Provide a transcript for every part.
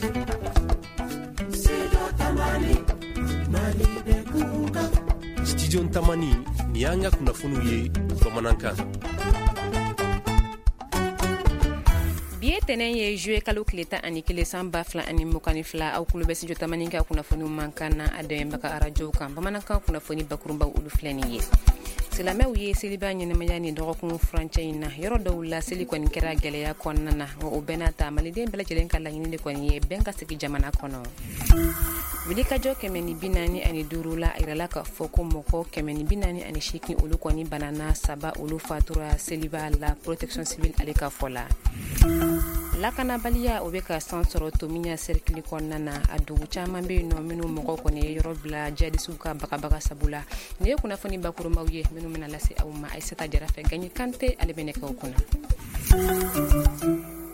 Studio Tamani, nin y'an ka kunnafoniw ye bamanankan. Bi ye tɛnɛn ye, juillet kalo tile 11, san 2022. Aw kulo bɛ Studio Tamani ka kunnafoniw mankan na, a dɛmɛbaga arajow kan. Bamanankan kunnafoni bakurunbaw, olu filɛ nin ye. Silamɛw ye seliba ɲɛnamaya ni dɔgɔkun furancɛ in na. Yɔrɔ dɔw la, seli kɔni kɛra gɛlɛya kɔnɔna na, nka o bɛɛ n'a ta, maliden bɛɛ lajɛlen ka laɲini de kɔni ye bɛn ka sigi jamana kɔnɔ. Wulikajɔ 145 la, a yirala k'a fɔ ko mɔgɔ 148, olu kɔni banana, saba olu fatura seliba la, protection civile ale ka fɔ la. Lakanabaliya, o bɛ ka san sɔrɔ Tominian cercle kɔnɔna na. A dugu caman bɛ yen nɔ minnu mɔgɔw kɔni ye yɔrɔ bila jihadisiw ka bagabaga sabu la. Nin ye kunnafoni bakurunbaw ye minnu bɛna lase aw ma Aïssata Jara fɛ. Gaɲi Kante, ale bɛ nɛgɛw kunna.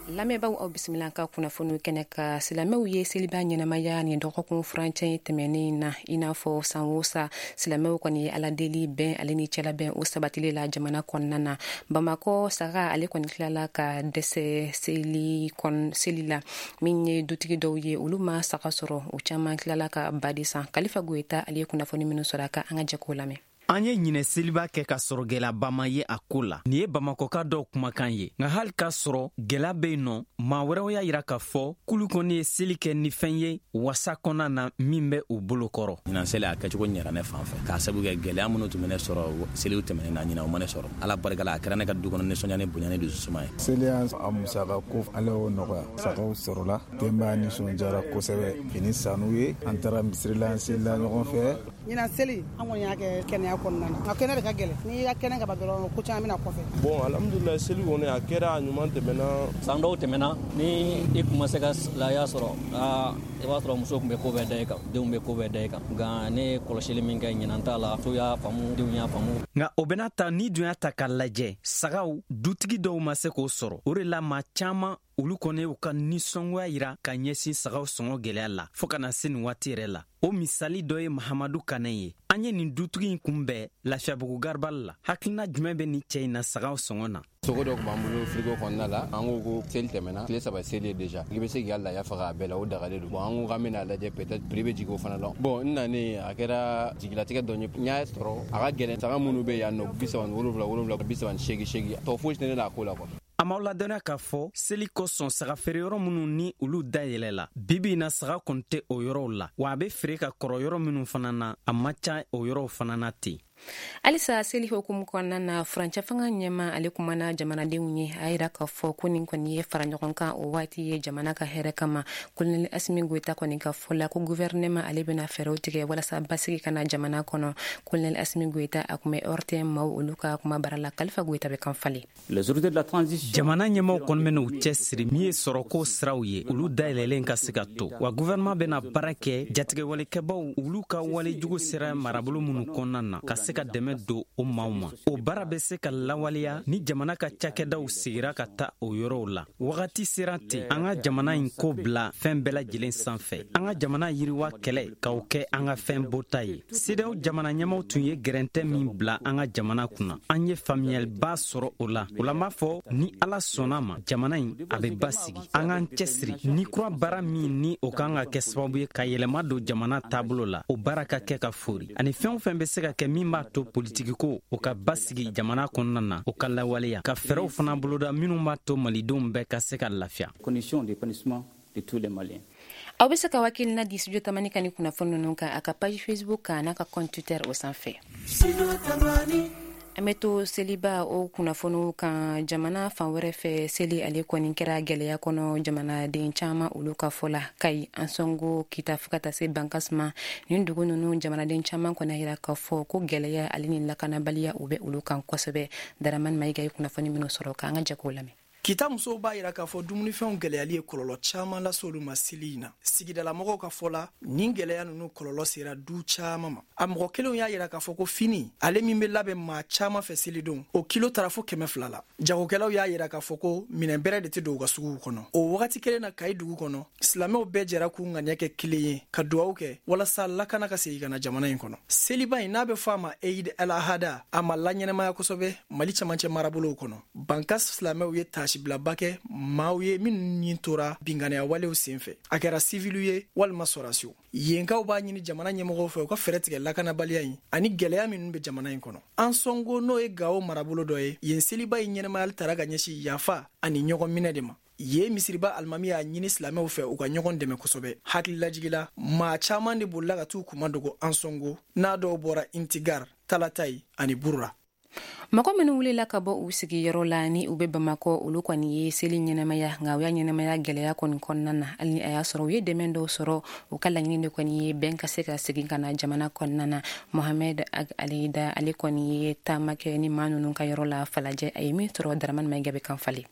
Lamɛnbaaw, aw bisimila ka kunnafoniw kɛnɛ kan. Silamɛw ye seliba ɲɛnamaya nin dɔgɔkun furancɛ in tɛmɛnen na. I n'a fɔ san o san, silamɛw kɔni ye Ala deli bɛn ale ni cɛlabɛn, o sabatili la jamana kɔnɔna na. Bamakɔ, saga ale kɔni tilala ka dɛsɛ seli kɔn seli la. Min ye dutigi dɔw ye, olu ma saga sɔrɔ, u caman tilala ka ba de san. Kalifa Goyita ale ye kunnafoni minnu sɔrɔ a kan, an ka jɛ k'o lamɛn. An ye ɲinɛ seliba kɛ ka sɔrɔ gɛlɛyaba ma ye a ko la. Nin ye Bamakɔka dɔw kumakan ye. Nka hali k'a sɔrɔ gɛlɛya bɛ yen nɔ, maa wɛrɛw y'a yira k'a fɔ k'olu kɔni ye seli kɛ ni fɛn ye wasa kɔnɔna na min bɛ u bolo kɔrɔ. Ɲinan seli, a kɛcogo ɲɛra ne fan fɛ, k'a sabu kɛ gɛlɛya minnu tun bɛ ne sɔrɔ seliw tɛmɛnen na, ɲinan o ma ne sɔrɔ. Ala barika la, a kɛra ne ka du kɔnɔ nisɔndiya ni bonya ni dususuma ye. Seli a musaka ko, Ala y'o nɔgɔya, sagaw sɔrɔla, denbaya nisɔndiyara kosɛbɛ, fini sanu ye, an taara misiri la, an selila ɲɔgɔn fɛ. Ɲinan seli, an kɔni y'a kɛ kɛnɛya kɔnɔna na, nka kɛnɛ de ka gɛlɛn. N'i ka kɛnɛ ka ban dɔrɔn, ko caman bɛna kɔfɛ. Bon, alhamdulilayi, seli kɔni a kɛra, a ɲuman tɛmɛna. San dɔw tɛmɛna, ni i kun ma se ka laya sɔrɔ, aa, i b'a sɔrɔ muso tun bɛ ko bɛɛ da i kan, denw bɛ ko bɛɛ da i kan. Nka ne ye kɔlɔsili min kɛ ɲinan ta la, so y'a faamu, denw y'a faamu. Nka o bɛna ta ni dun y'a ta k'a lajɛ, sagaw dutigi dɔw ma se k'o sɔrɔ. O de la, maa caman olu kɔni y'u ka nisɔngoya yira ka ɲɛsin sagaw sɔngɔ gɛlɛya la fɔɔ ka na se nin waati yɛrɛ la. O misali dɔ ye Mahamadu Kanɛ ye. An ye nin dutigi in kunbɛn Lafiyabugu garibali la. Hakilina jumɛn bɛ nin cɛ in na sagaw sɔngɔ na? Sogo dɔ tun b'an bolo frigo kɔnɔna la. An ko ko seli tɛmɛna, tile 3 seli ye déjà, i bɛ se k'i ka laya faga a bɛɛ la, o dagalen don. Bon, an ko k'an bɛna lajɛ, peut-être prix bɛ jigin o fana la. Bon, n nanen, a kɛra jigilatigɛ dɔ ye. N y'a sɔrɔ a ka gɛlɛn. Saga minnu bɛ yan nɔ, 37 wolonwula, 38 seegin, tɔ fosi tɛ ne la a ko la quoi. An b'aw ladɔnniya k'a fɔ seli kosɔn, saga feere yɔrɔ minnu ni olu dayɛlɛla, bibi na saga kɔni tɛ o yɔrɔw la. Wa a bɛ feere ka kɔrɔ yɔrɔ minnu fana na, a man ca o yɔrɔw fana na ten. Halisa seli hukumu kɔnɔna na, furancɛ fanga ɲɛma ale kumana jamanadenw ye. A yira k'a fɔ ko nin kɔni ye fara ɲɔgɔn kan o waati ye jamana ka hɛrɛ kama. Kolonɛli Asimi Goyita kɔni ka fɔ la ko guvɛrɛnɛma ale bɛna fɛɛrɛw tigɛ walasa basigi ka na jamana kɔnɔ. Kolonɛli Asimi Goyita, a kun bɛ ORTM maaw olu ka kuma bara la. Kalifa Goyita bɛ kan falen. Jamana ɲɛmaw kɔni bɛna u cɛ siri min ye sɔrɔko siraw ye, olu dayɛlɛlen ka se ka to. Wa guvɛrɛnman bɛna baara kɛ jatigɛwalekɛbaw olu ka walejugu sera marabolo minnu kɔnɔna na, ka se ka dɛmɛ don o maaw ma. O baara bɛ se ka lawaleya ni jamana ka cakɛdaw sigira ka taa o yɔrɔw la. Wagati sera ten, an ka jamana in ko bila fɛn bɛɛ lajɛlen sanfɛ, an ka jamana yiriwa kɛlɛ k'o kɛ an ka fɛn bɔta ye. CEDEAO jamana ɲɛmaw tun ye gɛrɛntɛ min bila an ka jamana kunna, an ye faamuyaliba sɔrɔ o la. O la, n b'a fɔ ni Ala sɔnna ma, jamana in a bɛ basigi. An k'an cɛsiri ni kura baara min ni o kan ka kɛ sababu ye ka yɛlɛma don jamana taabolo la, o baara ka kɛ ka fori, ani fɛn o fɛn bɛ se ka kɛ min b'a to politikiko o ka basigi jamana kɔnɔna na, o ka lawaleya, ka fɛɛrɛw fana boloda minnu b'a to malidenw bɛɛ ka se ka lafiya. Aw bɛ se ka hakilina di Studio Tamani ka ni kunnafoni ninnu kan a ka page Facebook kan n'a ka compte Twitter o sanfɛ. An bɛ to seliba o kunnafoniw kan. Jamana fan wɛrɛ fɛ, seli ale kɔni kɛra gɛlɛya kɔnɔ jamanaden caman olu ka fɔ la. Kayi, Ansɔngo, Kita, fo ka taa se Bankas ma, nin dugu ninnu jamanaden caman kɔni yira k'a fɔ ko gɛlɛya ale ni lakanabaliya, o bɛ olu kan kosɛbɛ. Daramani Mayiga ye kunnafoni minnu sɔrɔ, k'an ka jɛ k'o lamɛn. Kita musow b'a yira k'a fɔ dumunifɛnw gɛlɛyali ye kɔlɔlɔ caaman lase olu ma seli in na. Sigidalamɔgɔw ka fɔ la, nin gɛlɛya nunu kɔlɔlɔ sera du caaman ma. A mɔgɔ kelenw y'a yira k'a fɔ ko fini ale min be labɛn maa caaman fɛ selidon, o kilo tara fo 200 la. Jagokɛlaw y'a yira k'a fɔ ko minɛn bɛrɛ de tɛ don u ka suguw kɔnɔ. O wagati kelen na, Kayi dugu kɔnɔ, silamɛw bɛɛ jɛra k'u ŋaniya kɛ kelen ye ka duwawu kɛ walasa lakana ka segin ka na jamana in kɔnɔ. Seliba in n'a bɛ fɔ a ma Eid el Ahada, a ma laɲɛnamaya kosɛbɛ Mali camancɛ marabolow kɔnɔ. Bankas silamɛw ye taasi tasibilaba kɛ maaw ye minnu ɲin tora binkanniya walew senfɛ, a kɛra siviliw ye walima sɔrasiw. Yenkaw b'a ɲini jamana ɲɛmɔgɔw fɛ u ka fɛɛrɛ tigɛ lakanabaliya in ani gɛlɛya minnu bɛ jamana in kɔnɔ. Ansɔngo, n'o ye Gawo marabolo dɔ ye, yen seliba in ɲɛnamayali tara ka ɲɛsin yafa ani ɲɔgɔn minɛ de ma. Yen misiriba alimami y'a ɲini silamɛw fɛ u ka ɲɔgɔn dɛmɛ kosɛbɛ. Hakililajigila, maa caman de bolila ka t'u kuma dogo Ansɔngo, n'a dɔw bɔra Intigar, Talatayi ani Burura. Mɔgɔ minnu wulila ka bɔ u sigiyɔrɔ la ni u bɛ Bamakɔ, olu kɔni ye seli ɲɛnamaya, nka u y'a ɲɛnamaya gɛlɛya kɔni kɔnɔna na. Hali ni a y'a sɔrɔ u ye dɛmɛ dɔw sɔrɔ, u ka laɲini de kɔni ye bɛn ka se ka segin ka na jamana kɔnɔna na. Mohamɛd Ag Aleyida, ale kɔni ye taama kɛ ni maa ninnu ka yɔrɔ la Falajɛ. A ye min sɔrɔ, Daramani Mayiga bɛ kan falen.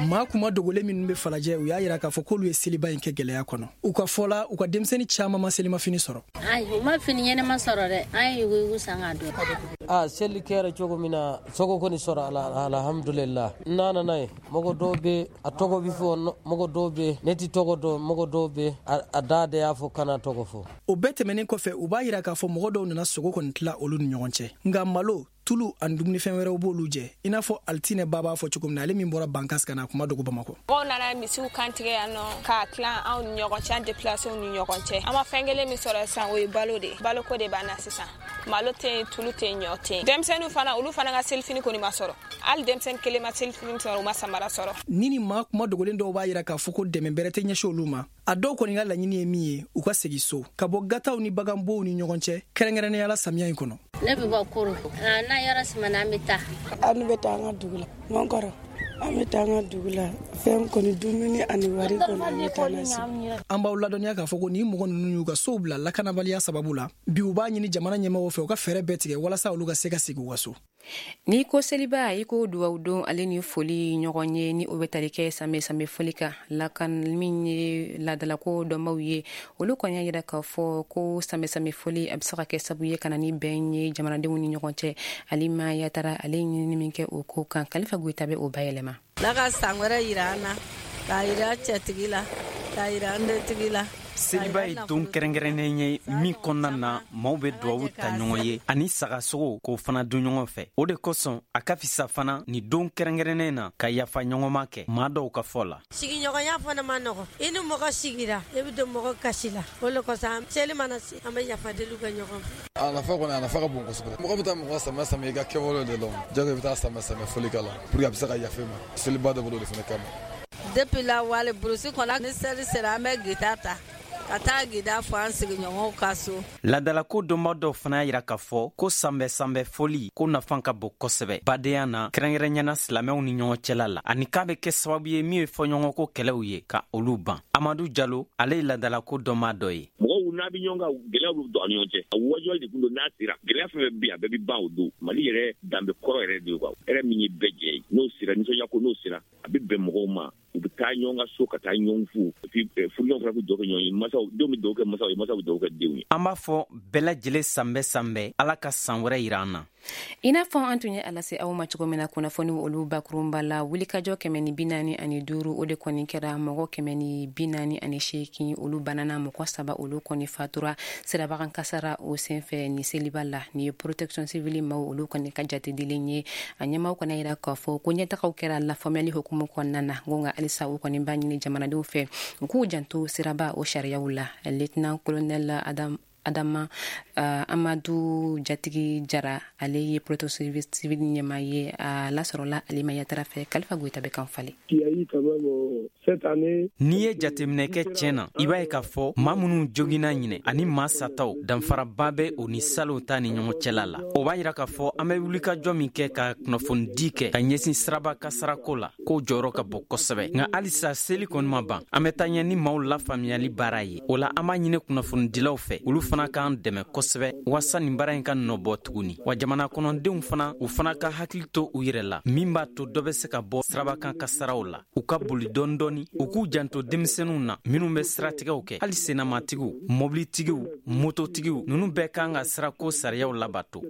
Maa kuma dogolen minnu bɛ Falajɛ, u y'a yira k'a fɔ k'olu ye seliba in kɛ gɛlɛya kɔnɔ. U ka fɔ la, u ka denmisɛnnin caman ma selimafini sɔrɔ. Ayi, u ma fini ɲɛnama sɔrɔ dɛ. An ye yuguyugu san k'a don. A seli kɛra cogo min na, sogo kɔni sɔrɔ ala, alhamdulillah. N nana ye mɔgɔ dɔw bɛ a tɔgɔ bɛ fɔ, mɔgɔ dɔw bɛ ne ti tɔgɔ dɔn, mɔgɔ dɔw bɛ a da de y'a fɔ kana tɔgɔ fɔ. O bɛɛ tɛmɛnen kɔfɛ, u b'a yira k'a fɔ mɔgɔ dɔw nana sogo kɔni tila olu ni ɲɔgɔn cɛ, nka malo, tulu ani dumunifɛn wɛrɛw b'olu jɛ, i n'a fɔ Alitinɛ ba b'a fɔ cogo min na, ale min bɔra Bankas ka na kuma dogo Bamakɔ. Mɔgɔw nana misiw kantigɛ yan nɔ k'a tilan anw ni ɲɔgɔn cɛ, an déplacéw ni ɲɔgɔn cɛ. An ma fɛn kelen min sɔrɔ sisan, o ye balo de ye. Baloko de b'an na sisan. Malo tɛ yen, tulu tɛ yen, ɲɔ tɛ yen. Denmisɛnninw fana, olu fana ka selifini kɔni ma sɔrɔ. Hali denmisɛnnin kelen ma selifini sɔrɔ, u ma samara sɔrɔ. Ni maa kuma dogolen dɔw b'a yira k'a fɔ ko dɛmɛ bɛrɛ tɛ ɲɛsin olu ma. A dɔw kɔni ka laɲini ye min ye, u ka segin so ka bɔ gataw ni baganbow ni ɲɔgɔn cɛ, kɛrɛnkɛrɛnnenya la samiya in kɔnɔ. Ne bɛ bɔ Koro. N'a yɔrɔ simana, an bɛ taa. An bɛ taa an ka dugu la. N kɔrɔ, an bɛ taa an ka dugu la. Fɛn kɔni, dumuni ani wari kɔni, an bɛ taa n'a ye. An b'aw ladɔnniya k'a fɔ ko nin mɔgɔ ninnu y'u ka sow bila lakanabaliya sababu la. Bi, u b'a ɲini jamana ɲɛmɔgɔw fɛ u ka fɛɛrɛ bɛɛ tigɛ walasa olu ka se ka segin u ka so. N'i ko seliba, i ko duwawu don ale ni foli ɲɔgɔn ye, ni o bɛ tali kɛ sanbɛ sanbɛ foli kan. Lakan min ye laadalako dɔnbaw ye, olu kɔni y'a yira k'a fɔ ko sanbɛ sanbɛ foli, a bɛ se ka kɛ sabu ye ka na ni bɛn ye jamanadenw ni ɲɔgɔn cɛ. Alima Yatara, ale ye ɲinini min kɛ o ko kan, Kalifa Goyita bɛ o bayɛlɛma. Ala ka san wɛrɛ yira an na, k'a yira cɛtigi la, k'a yira an dentigi la. Seliba ye don kɛrɛnkɛrɛnnen ye min kɔnɔna na maaw bɛ duwawu ta ɲɔgɔn ye ani sagasogo k'o fana dun ɲɔgɔn fɛ. O de kosɔn a ka fisa fana ni don kɛrɛnkɛrɛnnen na ka yafa ɲɔgɔnma kɛ, maa dɔw ka fɔ la. Sigiɲɔgɔnya fana ma nɔgɔ. I ni mɔgɔ sigira, i bɛ don mɔgɔ kasi la. O le kosɔn, seli mana se, an bɛ yafa deli kɛ ɲɔgɔn fɛ. A nafa kɔni, a nafa ka bon kosɛbɛ. Mɔgɔ bɛ taa mɔgɔ sama sama i ka kɛwale de la, jago i bɛ taa sama sama foli k'a la pour que a bɛ se ka yafa i ma. Seliba de bolo de fana kama. Depuis la wale burusi kɔnɔ, ni seli sera, an bɛ gita ta ka taa gida fɔ an sigiɲɔgɔnw ka so. Ladalako dɔnba dɔw fana y'a yira k'a fɔ ko sanbɛ sanbɛ foli ko nafa ka bon kosɛbɛ badenya na, kɛrɛnkɛrɛnyana silamɛw ni ɲɔgɔn cɛla la, ani k'a bɛ kɛ sababu ye min ye fɔɲɔgɔnko kɛlɛw ye ka olu ban. Amadu Jalo, ale ye ladalako dɔnba dɔ ye. Mɔgɔw n'a bɛ ɲɔgɔn kan, gɛlɛyaw bɛ don a ni ɲɔgɔn cɛ. A wajuli de kun don. N'a sera, gɛlɛya fɛn fɛn bɛ yen, a bɛɛ bɛ ban o don. Mali yɛrɛ danbe kɔrɔ yɛrɛ de ye quoi, hɛrɛ min ye bɛɛ jɛ ye, n'o sera, nisɔndiya ko n'o sera, a bɛ bɛn mɔgɔw ma, u bɛ taa ɲɔgɔn ka so ka taa ɲɔgɔn fo, et puis furuɲɔgɔn fana bɛ dugawu kɛ ɲɔgɔn ye, masaw denw bɛ dugawu kɛ masaw ye, masaw bɛ dugawu kɛ denw ye. An b'a fɔ bɛɛ lajɛlen sanbɛ sanbɛ, Ala ka san wɛrɛ yira an na. I n'a fɔ an tun ye a lase aw ma cogo min na kunnafoni olu bakurunba la, wulikajɔ 145, o de kɔni kɛra. Mɔgɔ 148, olu banana. Mɔgɔ 3, olu kɔni fatura sirabakan kasara o senfɛ ni seliba la. Nin ye protection civile maw olu kɔni ka jatedilen ye. A ɲɛmaw kɔni yira k'a fɔ ko ɲɛtagaw kɛra lafaamuyali hukumu kɔnɔna na, ko nka halisa u kɔni b'a ɲini jamanadenw fɛ u k'u janto siraba o sariyaw la. Lieutenant colonel Adam Adama Amadu Jatigi Jara, ale ye protection civile ɲɛmaa ye. A lasɔrɔla Alima Yatara fɛ. Kalifa Goyita bɛ kan falen. N'i ye jateminɛ kɛ tiɲɛ na, i b'a ye k'a fɔ maa minnu joginna ɲinɛ ani maa sataw, danfaraba bɛ o ni salon ta ni ɲɔgɔn cɛla la. O b'a yira k'a fɔ an bɛ wulikajɔ min kɛ ka kunnafonidi kɛ ka ɲɛsin siraba kasarako la, k'o jɔyɔrɔ ka bon kosɛbɛ. Nka halisa seli kɔni ma ban, an bɛ taa ɲɛ ni maaw lafaamuyali baara ye. O la, an b'a ɲini kunnafonidilaw fɛ, olu fana k'an dɛmɛ kosɛbɛ waasa nin baara in ka nɔbɔ tuguni. Wa jamana kɔnɔdenw fana, u fana ka hakili to u yɛrɛ la, min b'a to dɔ bɛ se ka bɔ sirabakan kasaraw la. U ka boli dɔɔni dɔɔni, u k'u janto denmisɛnninw na minnu bɛ siratigɛw kɛ, hali senamatigiw, mɔbilitigiw, mototigiw, ninnu bɛɛ kan ka sirako sariyaw labato.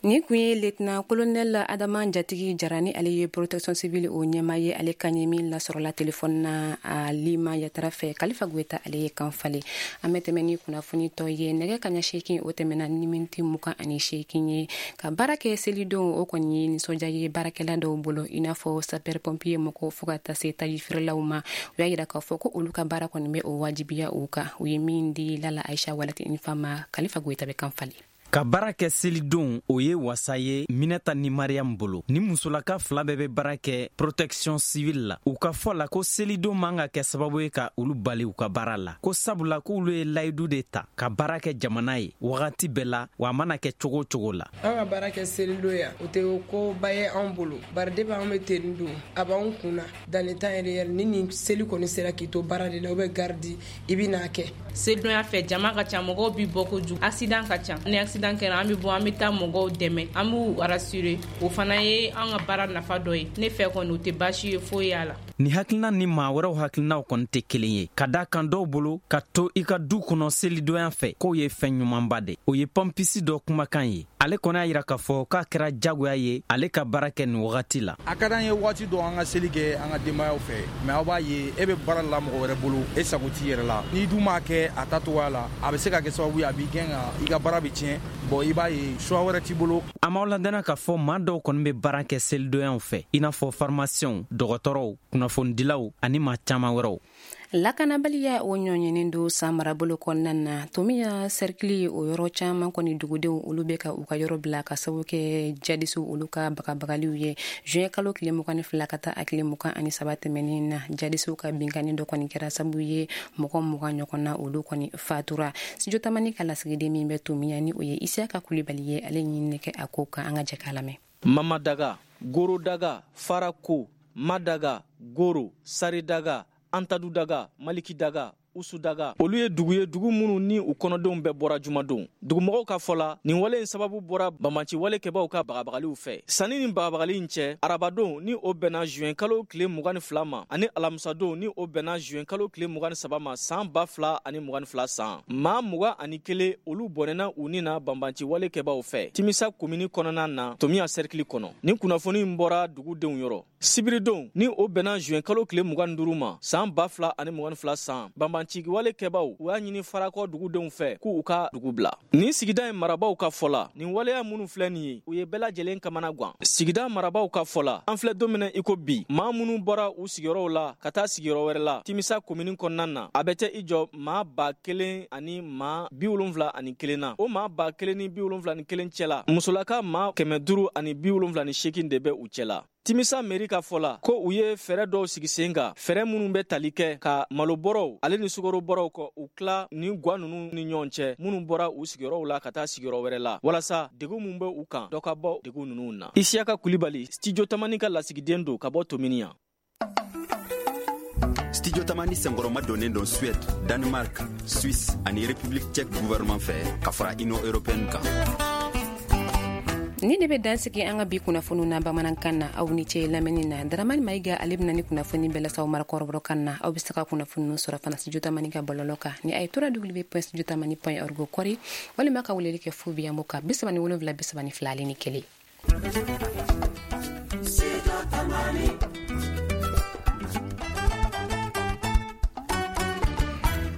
Nin kun ye lieutenant colonel Adama Jatigi Jara ni ale ye protection civile o ɲɛmaa ye. Ale kan ye min lasɔrɔla telefɔni na Alima Yatara fɛ. Kalifa Goyita ale ye kan falen. An bɛ tɛmɛ ni kunnafoni tɔ ye. Nɛgɛ kaɲa 8, o tɛmɛna ni miniti 28 ye. Ka baara kɛ selidon, o kɔni ye nisɔndiya ye baarakɛla dɔw bolo, i n'a fɔ sapeur pompier mɔgɔw, fo ka taa se taji feerelaw ma. U y'a yira k'a fɔ ko olu ka baara kɔni bɛ o wajibiya u kan. U ye min di Lala Aisha Walati Nfa ma, Kalifa Goyita bɛ kan falen. Ka baara kɛ selidon, o ye wasa ye Minɛta ni Mariam bolo. Ni musolaka fila bɛɛ bɛ baara kɛ protection civile la. U ka fɔ la ko selidon man ka kɛ sababu ye ka olu bali u ka baara la, ko sabula k'olu ye layidu de ta ka baara kɛ jamana ye wagati bɛɛ la, wa a mana kɛ cogo o cogo la. An ka baara kɛ selidon yan, o tɛ ko ba ye anw bolo, bari depuis an bɛ tenue don, a b'anw kun na dans le temps réel. Ni nin seli kɔni sera k'i to baara de la ou bien garde, i bɛ n'a kɛ. Selidonya fɛ, jama ka ca, mɔgɔw bi bɔ kojugu, accident ka ca. Ni accident kɛra, an bɛ bɔ, an bɛ taa mɔgɔw dɛmɛ, an b'u rassurer. O fana ye an ka baara nafa dɔ ye. Ne fɛ kɔni, o tɛ baasi ye foyi y'a la. Ni hakilina ni maa wɛrɛw hakilinaw kɔni tɛ kelen ye, ka da kan dɔw bolo, ka to i ka du kɔnɔ selidonya fɛ, k'o ye fɛn ɲumanba de. O ye pɔnpisi dɔ kumakan ye. Ale kɔni y'a yira k'a fɔ k'a kɛra jagoya ye ale ka baara kɛ nin wagati la. A ka d'an ye waati dɔ an ka seli kɛ an ka denbayaw fɛ, mais aw b'a ye, e bɛ baara la mɔgɔ wɛrɛ bolo, e sago t'i yɛrɛ la. N'i dun m'a kɛ a ta cogoya la, a bɛ se ka kɛ sababu ye a b'i gɛn ka i ka baara bɛ tiɲɛ. Bon, i b'a ye, choix wɛrɛ t'i bolo. An b'aw ladɔnniya k'a fɔ maa dɔw kɔni bɛ baara kɛ selidonya fɛ, i n'a fɔ pharmaciens, dɔgɔtɔrɔw, kunnafonidilaw ani maa caman wɛrɛw. Lakanabaliya o ɲɔɲɛnen don San marabolo kɔnɔna na. Tomiya sɛrikili, o yɔrɔ caman kɔni, dugudenw olu bɛ ka u ka yɔrɔ bila ka sababu kɛ jadisiw olu ka bagabagaliw ye. Juin kalo tile 22 ka taa a tile 23 tɛmɛnen na, jadisiw ka binkanni dɔ kɔni kɛra sababu ye mɔgɔ 20 ɲɔgɔn na, olu kɔni fatura. Studio Tamani ka lasigiden min bɛ Tomiya, ni o ye Isiyaka Kulibali ye, ale ɲinini kɛ a ko kan. An ka jɛ k'a lamɛn. Mamadaga, Gorodaga, Farako, Madaga, Goro, Saridaga, Antadudaga, Malikidaga, Usudaga, olu ye dugu ye, dugu minnu ni u kɔnɔdenw bɛɛ bɔra jumadon. Dugumɔgɔw ka fɔ la, nin wale in sababu bɔra banbanci walekɛbaw ka bagabagaliw fɛ. Sanni ni bagabagali in cɛ, arabadon ni o bɛnna juin kalo tile 22 ma, ani alamisadon ni o bɛnna juin kalo tile 23 ma, san 2022 san, maa 21, olu bɔnɛna u ni na banbanci walekɛbaw fɛ Timisa komini kɔnɔna na, Tomiya sɛrikili kɔnɔ. Nin kunnafoni in bɔra dugudenw yɔrɔ. Sibiridon ni o bɛnna juin kalo tile 25 ma, san 2022 san, banbanci walekɛbaw, u y'a ɲini Farakɔ dugudenw fɛ k'u ka dugu bila. Nin sigida in marabaw ka fɔ la, nin waleya minnu filɛ nin ye, u ye bɛɛ lajɛlen kamana gan. Sigida marabaw ka fɔ la, an filɛ don min na i ko bi, maa minnu bɔra u sigiyɔrɔw la ka taa sigiyɔrɔ wɛrɛ la Timisa komini kɔnɔna na, a bɛ tɛ i jɔ maa 1071 na. O maa 1071 cɛ la, musolaka maa 578 de bɛ u cɛ la. Timisa meri ka fɔ la ko u ye fɛɛrɛ dɔw sigi sen kan, fɛɛrɛ minnu bɛ tali kɛ ka malobɔrɔw ale ni sukarobɔrɔw kɔ u tila ni gwa ninnu ni ɲɔgɔn cɛ, minnu bɔra u sigiyɔrɔw la ka taa sigiyɔrɔ wɛrɛ la, walasa degun min bɛ u kan, dɔ ka bɔ degun ninnu na. Isiyaka Kulibali, Studio Tamani ka lasigiden don ka bɔ Tominian. Studio Tamani senkɔrɔma donnen don Suède, Danemark, Suisse ani République tchèque gouvernement fɛ, ka fara Union européenne kan. Ni de bɛ dansigi an ka bi kunnafoniw na bamanankan na. Aw ni ce lamɛnni na. Daramani Mayiga, ale bɛna ni kunnafoni bɛɛ lase aw ma kɔrɔbɔrɔkan na. Aw bɛ se ka kunnafoni sɔrɔ fana Studio Tamani ka bɔlɔlɔ kan ni a ye www.studiotamani.org kɔri, walima ka weleli kɛ 0 biyanbo kan 37 32 01.